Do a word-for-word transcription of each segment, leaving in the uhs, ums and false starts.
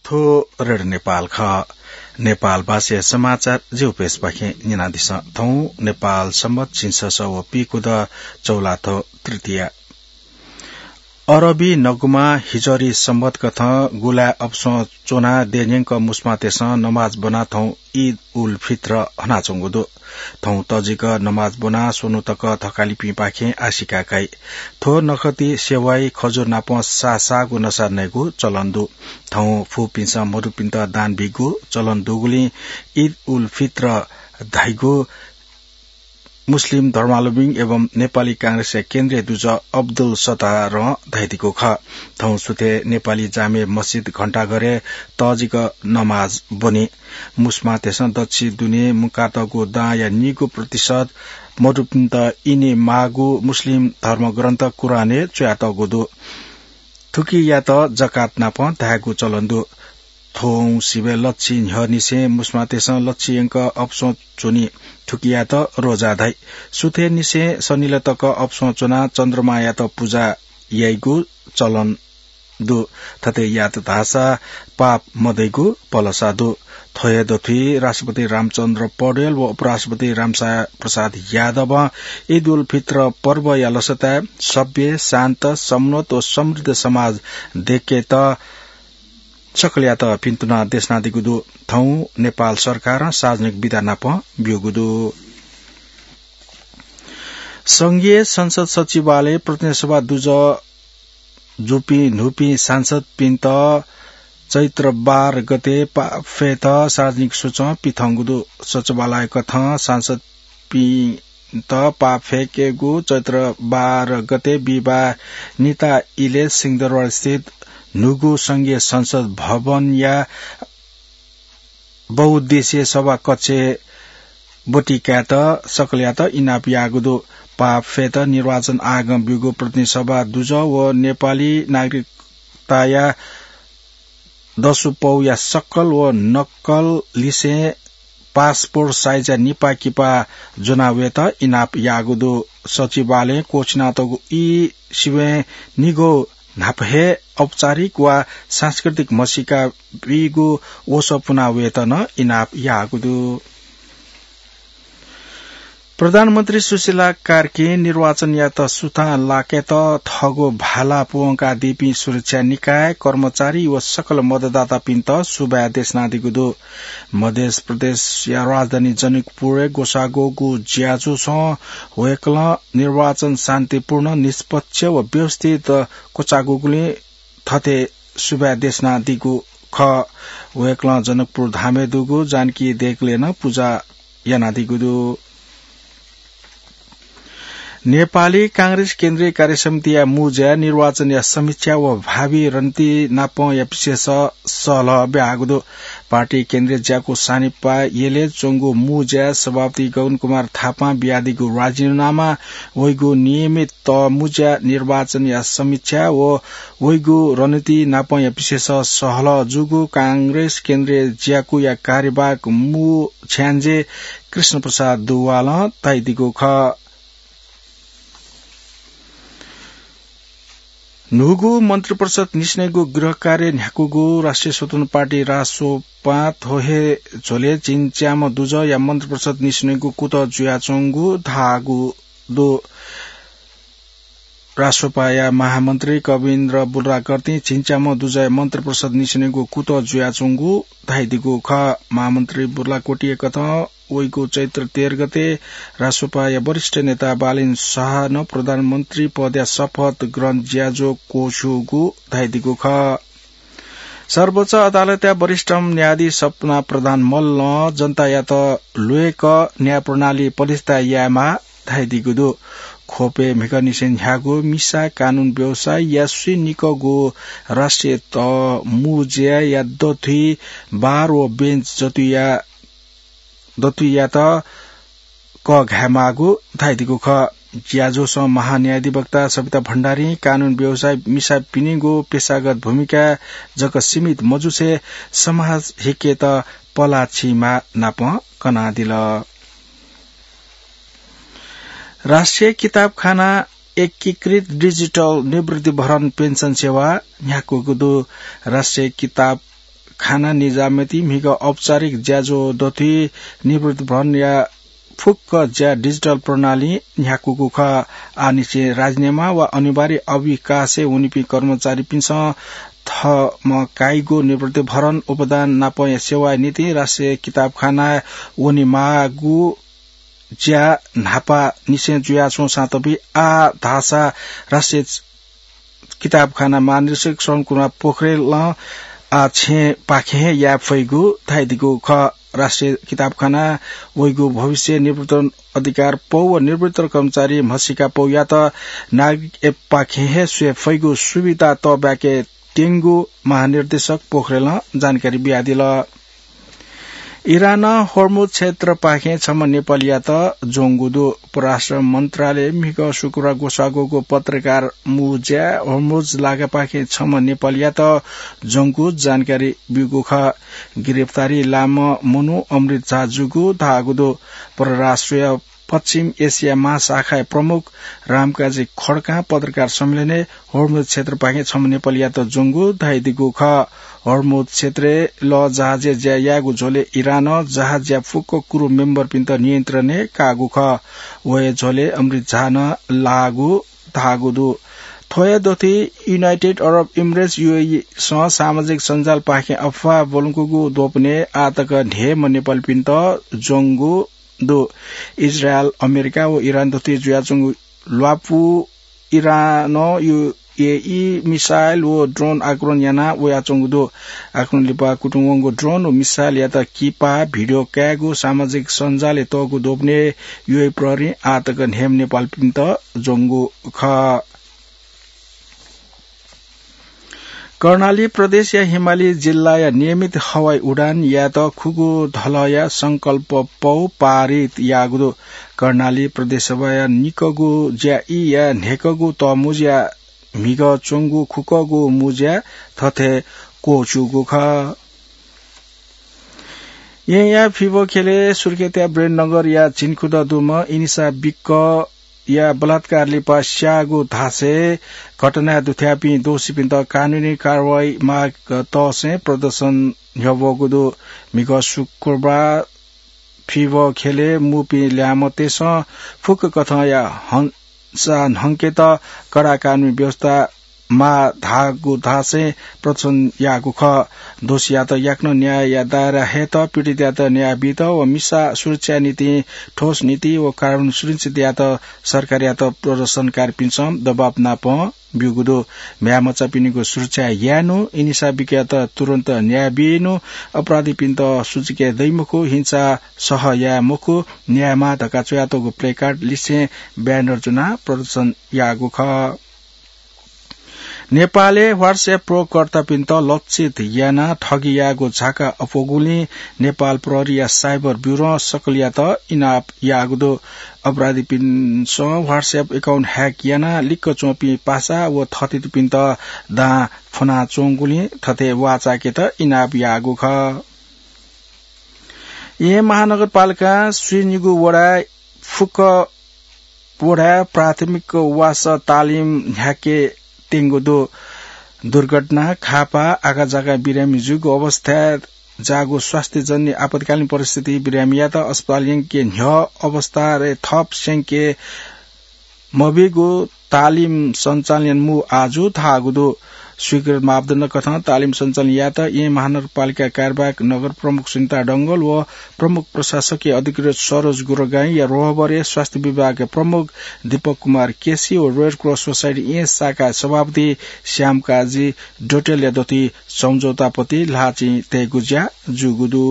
थ्व रेडियो नेपाल खः। नेपाल भाषाया समाचार जिगु पेजपाखें न्यनादिसँ। थौं नेपाल सम्बत झिंछसः व पीखुदँ चौलाथ्व तृतीया। अरबी नगुमा हिजरी सम्बत कथं गुलाय् अपसं च्वनाः देय्‌न्यंक मुस्मांतय्‌सं नमाज ब्वनाः थौं ईद उल फित्र हनाच्वंगु दु। थौं तःजिक नमाज ब्वनाः स्वन्हु तक थकालिपिंपाखें आशिका काइ। थ्व नखति सेवाइ खजुर नाप साःसाःगु नसा नयेगु चलन दु। थौं फुपिन्सं मदुपिन्त दान बीगु चलन दुगुलिं ईद उल फित्र धाइगु मुस्लिम धर्मावलम्बी एवं नेपाली कांग्रेसया केन्द्रीय दुजः अब्दुल सत्तारं धयादीगु खः। थौं सुथय् नेपाली जामे मस्जिद घण्टाघरय् तःजिक नमाज ब्वनी। मुस्मांतय्‌सं दच्छि दुने मुंकातःगु दांया निगू प्रतिशत मदुपिन्त इने माःगु मुस्लिम धर्मग्रन्थ कुरानय् च्वयातःगु दु। थुकियात जकात नाप धायेगु चलन दु। थौं सिबय् लच्छि न्ह्यःनिसें मुस्मांतय्‌सं लच्छि यंक अपसं च्वनी। थुकियात रोजा धाइ। सुथय्‌निसें सनिलय् तक अपसं च्वनाः चन्द्रमायात पुजा याइगु चलन दु। थथे यात धाःसा पाप मदइगु भलसा दु। थ्व हे दथुइ राष्ट्रपति रामचन्द्र पौडेल व उपराष्ट्रपति रामशा-, प्रसाद यादवं ईद उल फित्र पर्वया लसताय् सभ्य, शान्त, समुन्नत व समृद्ध समाज दय्‌केत सकलयात भिन्तुना देछानादीगु दु। थौं नेपाल सरकारं सार्वजनिक बिदा नाप ब्यूगु दु। संघीय संसद सचिवालय प्रतिनिधि सभा दुजः जूपिं न्हूपिं सांसदपिन्त चैत्र बाह्र गते पाफेत सार्वजनिक सोचं पिथंगु दु। सचिवालय कथं सांसदपिन्त पाफेकेगु चैत्र बाह्र गते बिहिबाः निता इलय् सिंहदरबारस्थित न्हूगु संघीय संसद भवनया बहुउद्देश्य सभा कक्षय् ब्वति कायेत सकलयात इनाप याःगु दु। पाफेत निर्वाचन आयोगं ब्यूगु प्रतिनिधि सभा दुजः व नेपाली नागरिकताया दसु पौया सकल व नक्कल लिसें पासपोर्ट साइजया निपाः किपाः ज्वना वयेत इनाप याःगु दु। सचिवालयं क्वःछिनातःगु ई सिबें निगू न्हापा हे औपचारिक वा सांस्कृतिक म्हसीका बीगु वसः पुना वयेत नं इनाप याःगु दु। प्रधानमन्त्री सुशीला कार्कीं निर्वाचनयात सुथां लाकेत थःगु भाला प्वंकादीपिं सुरक्षा निकाय, कर्मचारी व सकल मतदातापिन्त सुभाय् देछानादीगु दु। मध्य प्रदेशया राजधानी जनकपुरय् ग्वसाःगु ज्याझ्वलय् वय्‌कलं निर्वाचन शान्तिपूर्ण, निष्पक्ष व व्यवस्थित क्वचाःगुलिं थथे सुभाय् देछानादीगु खः। वय्‌कलं जनकपुर धामय् दुगु जानकी देगलय् नं पुजा यानादीगु दु। नेपाली कांग्रेस केन्द्रीय कार्यसमितिया मुँज्याय् निर्वाचनया समीक्षा व भावी रणनीति नापंया विषयय् सहलह ब्याहाःगु दु। पार्टी केन्द्रीय ज्याकू सानिपा यलय् च्वंगु मुँज्याय् सभापति गगन कुमार थापां बियादीगु राजीनामा, वइगु नियमित मुँज्या निर्वाचनया समीक्षा व वइगु रणनीति नापंया विषयय् सहलह जूगु कांग्रेस केन्द्रीय ज्याकूया कार्यवाहक मू छ्याञ्जे कृष्ण प्रसाद दुवालं धयादीगु खः। न्हूगु मन्त्रिपरिषद निसेनय्‌गु गृह कार्य न्ह्याकूगु राष्ट्रिय स्वतन्त्र पार्टी रासोपां थ्व हे झ्वलय् झिंच्याम्ह दुजःया मन्त्रिपरिषद निसेनय्‌गु कुतः जुयाच्वंगु धाःगु दु। रासोपाया महामन्त्री कविन्द्र बुर्लाकर्तीं झिंच्याम्ह दुजःया मन्त्रिपरिषद निसेनय्‌गु कुतः जुयाच्वंगु धयादीगु खः। महामन्त्री बुर्लाकोटीया कथं वइगु चैत्र तेह्र गते रासोपाया वरिष्ठ नेता बालेन शाहं प्रधानमन्त्री पदया शपथ ग्रहण ज्याझ्वः क्वछूगु धयादीगु खः। सर्वोच्च अदालतया वरिष्ठ न्यायाधीश सपना प्रधान मल्लं जनतायात ल्वय्‌क न्याय प्रणाली प्रतिष्ठा यायेमाः धयादीगु दु। ख्वपय् म्हिगःनिसें न्ह्याःगु मिसा कानून व्यवसायया स्वीनिकःगु राष्ट्रिय तः मुँज्याया दथुइ बार व बेन्च जतुया दतुयात कःघायेमाःगु धयादीगु खः। ज्याझ्वलय् महान्यायाधिवक्ता सविता भण्डारीं कानून व्यवसायी मिसापिनिगु पेशागत भूमिका जक सीमित मजुसे समाज हिकेत पलाः छिमाः नाप कनादिल। राष्ट्रिय किताबखाना एकीकृत डिजिटल निवृत्तिभरण पेन्सन सेवा न्ह्याकूगु दु। राष्ट्रिय किताब खाना निजामती म्हिगः औपचारिक ज्याझ्वः दथुइ निवृत्ति भरणया फुक्क ज्या डिजिटल प्रणाली न्ह्याकूगु खः। आःनिसें राजीनामा वा अनिवार्य अविकासय् वनीपिं कर्मचारीपिन्सं थःम्हं काइगु निवृत्ति भरण उपदान नापंया सेवाया निंतिं राष्ट्रिय किताबखानाय् वनेमाःगु ज्या न्हापांनिसें जुयाच्वंसां तबि आः धाःसा राष्ट्रिय किताबखाना महानिरीक्षक श्रवण कुमार पोखरेलं आः छेँपाखें हे याये फइगु धाइदिगु खः। राष्ट्रिय किताबखाना वइगु भविष्य निवृत्ति अधिकार पौ व निवृत्ति कर्मचारी म्हसीका पौयात नागरिक एपपाखें हे स्वये फइगु सुविधा तःब्याके त्यंगु महानिर्देशक पोखरेलं जानकारी बियादिल। इरानं होर्मुज क्षेत्रपाखें छम्ह नेपालीयात ज्वंगु दु। परराष्ट्र मन्त्रालय म्हिगः शुक्रबार ग्वसाःगु पत्रकार मुज्या होर्मुज लागापाखें छम्ह नेपालीयात ज्वंगु जानकारी ब्यूगु खः। गिरफ्तारी लाःम्ह मनू अमृत झा जूगु धाःगु दु। परराष्ट्रया पश्चिम एसिया महाशाखाया प्रमुख रामकाजी खड्कां पत्रकार सम्मेलनय् होर्मुज क्षेत्रपाखें छम्ह नेपालीयात ज्वंगु धाइदिगु खः। होर्मुज क्षेत्रय् लःजहाजय् ज्या यायेगु झ्वलय् इरानं जहाजया फुक्क क्रू मेम्बरपिन्त नियन्त्रणय् काःगु खः। व हे झ्वलय् अमृत झा नं लाःगु धाःगु दु। थ्वया दथुइ युनाइटेड अरब इमिरेट्स, यूएई, सं सामाजिक सञ्जालपाखें अफवाह ब्वलंकूगु द्वपनय् आःतक न्हय्म्ह नेपालीपिन्त ज्वंगु दु। इजरायल, अमेरिका व इरान दथुइ जुयाच्वंगु ल्वापु इरानं यूएई मिसाइल व ड्रोन आक्रमण याना वयाच्वंगु दु। आक्रमण लिपा कुतुं वंगु ड्रोन व मिसाइलयात किपा भिडियो कायेगु सामाजिक सञ्जालय् तःगु द्वपनय् यूएई प्रहरीं आःतक न्हय्म्ह नेपालीपिन्त ज्वंगु खः। कर्णाली प्रदेशया हिमाली जिल्लाया नियमित हवाई उडान यायेत खुगू धलया संकल्प पौ पारित याःगु दु। कर्णाली प्रदेशसभाया निकःगु ज्याईया न्हय्कःगु तःमुँज्या म्हिगः च्वंगु खुकःगु मुँज्या थथे क्वःछूगु खः। येँया फिबः ख्यलय् सुर्खेतया ब्रेननगरया झिंखुदँ दुम्ह इनिसा बिक्कया बलात्कार लिपा स्याःगु धासें घटनाय् दुथ्याःपिं दोषीपिन्त कानूनी कारवाही माग तःसें प्रदर्शन न्ह्यब्वःगु दु। म्हिगः शुक्रबार फिबः ख्यलय् मुपिं ल्याय्म्हतय्सं फुक्क कथंया हं सा न्हंकेत कडा कानूनी व्यवस्था माः धाःगु धासें प्रदर्शन याःगु खः। दोषीयात याकनं न्यायया दायरा हयेत, पीडितयात न्याय बीत व मिसा सुरक्षाया निंतिं ठोस नीति व कानून सुनिश्चित यायेत सरकारयात प्रदर्शनकारीपिन्सं दबाब नाप ब्यूगु दु। म्ह्याय्मचापिनिगु सुरक्षा यायेनु, इनिसा बिक्कयात तुरुन्त न्याय बीनु, अपराधीपिन्त सुचुके दइमखु, हिंसा सह याये मखु, न्याय माः धकाः च्वयातःगु प्लेकार्ड लिसें ब्यानर ज्वनाः प्रदर्शन याःगु खः। नेपालय् WhatsApp प्रयोगकर्तापिन्त लक्षित यानाः ठगी याःगु झाका अप्वःगुलिं नेपाल प्रहरीया साइबर ब्युरों सकलयात इनाप याःगु दु। अपराधीपिन्सं WhatsApp account hack यानाः लिक्क च्वंपिं पासा व थःथितिपिन्त दां फ्वनाच्वंगुलिं थथे वाःचाकेत इनाप याःगु खः। येँ महानगरपालिकां स्वीनिगू वडाय् फुक्क वडाय् प्राथमिक वासः तालिम न्ह्याके त्यंगु दु। दुर्घटना, खापा, आकाझाका बिरामी जूगु अवस्थाय् जाःगु स्वास्थ्यजन्य आपतकालीन परिस्थिति बिरामीयात अस्पताल यंके न्ह्यः अवस्थाय् थप स्यंके मबीगु तालिम सञ्चालन यानामू आजु धाःगु दु। स्वीकृत मापदण्ड कथं तालिम सञ्चालन यायेत येँ महानगरपालिका कार्यवाहक नगर प्रमुख सुनिता डंगोल व प्रमुख प्रशासकीय अधिकृत सरोज गुरुगाईंया रोहबरय् स्वास्थ्य विभागया प्रमुख दीपक कुमार केसी व रेड क्रस सोसाइटी येँ शाखा सभापति श्यामकाजी डोटेलया दथुइ सम्झौतापति ल्हाःचिं तयेगु ज्या जूगु दु।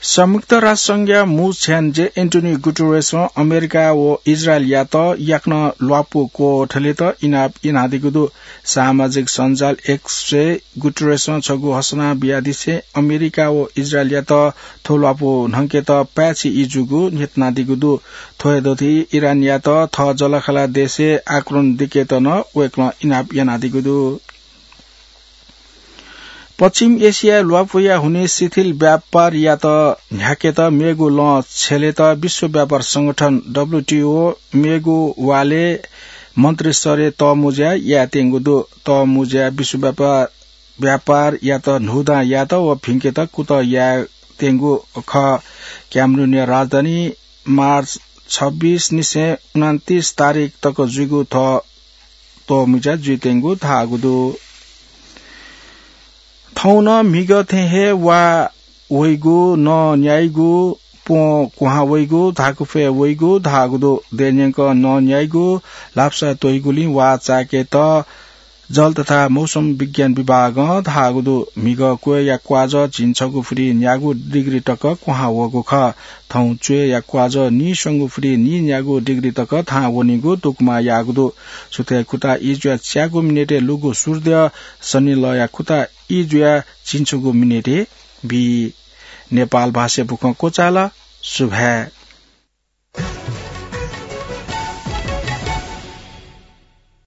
संयुक्त राष्ट्र संघया मू छ्याञ्जे एन्टोनियो गुटेरेसं अमेरिका व इजरायलयात याकनं ल्वापु क्वथलेत इनाप यानादीगु दु। सामाजिक सञ्जाल एक्सय् गुटेरेसं छगू घोषणा बियादिसें अमेरिका व इजरायलयात थ्व ल्वापु न्हंकेत पाय्छि ई जूगु न्ह्यथनादीगु दु। थ्व हे दथुइ इरानयात थः जःलाखःला देशय् आक्रमण दिकेत नं वय्कलं इनाप यानादीगु दु। पश्चिम एसियाय् ल्वापुया हुनिं शिथिल व्यापारयात न्ह्याकेत मेगु लँ छ्यलेत विश्व व्यापार संगठन, डब्ल्युटीओ, मेगु वालय् मन्त्रीस्तरय् तःमुँज्या यायेत्यंगु दु। तःमुँज्या विश्व व्यापार व्यापार यात न्हूदां यात व भिंकेत कुतः यायेत्यंगु खः। क्यामरुनया राजधानी मार्च छब्बीस निसें उनन्तीस तारिख तक जुइगु थः त्वःमिजा जुइत्यंगु धाःगु दु। थौं नं म्हिगः थें हे वा वइगु, नं न्याइगु, प्वँ क्वहां वइगु, धाकुफय् वइगु धाःगु दु। दँय्‌न्यंक नं न्याइगु, लापसा त्वइगुलिं वा चाय्‌केत जल तथा मौसम विज्ञान विभागं धाःगु दु। म्हिगः क्वय्‌या क्वाजः झिंछगू फुति न्यागू डिग्री तक क्वहां वःगु खः। थौं च्वय्‌या क्वाजः नीस्वंगू फुति नीन्यागू डिग्री तक थाहां वनीगु दुकुमा याःगु दु। सुथय् खुता ई जुयाः च्यागू मिनेटय् लुगु सूर्य सनिलया खुता ई जुयाः झिंछगू मिनेटय् बी। नेपाल भाषाय् बुखँ क्वचाल। सुभाय्।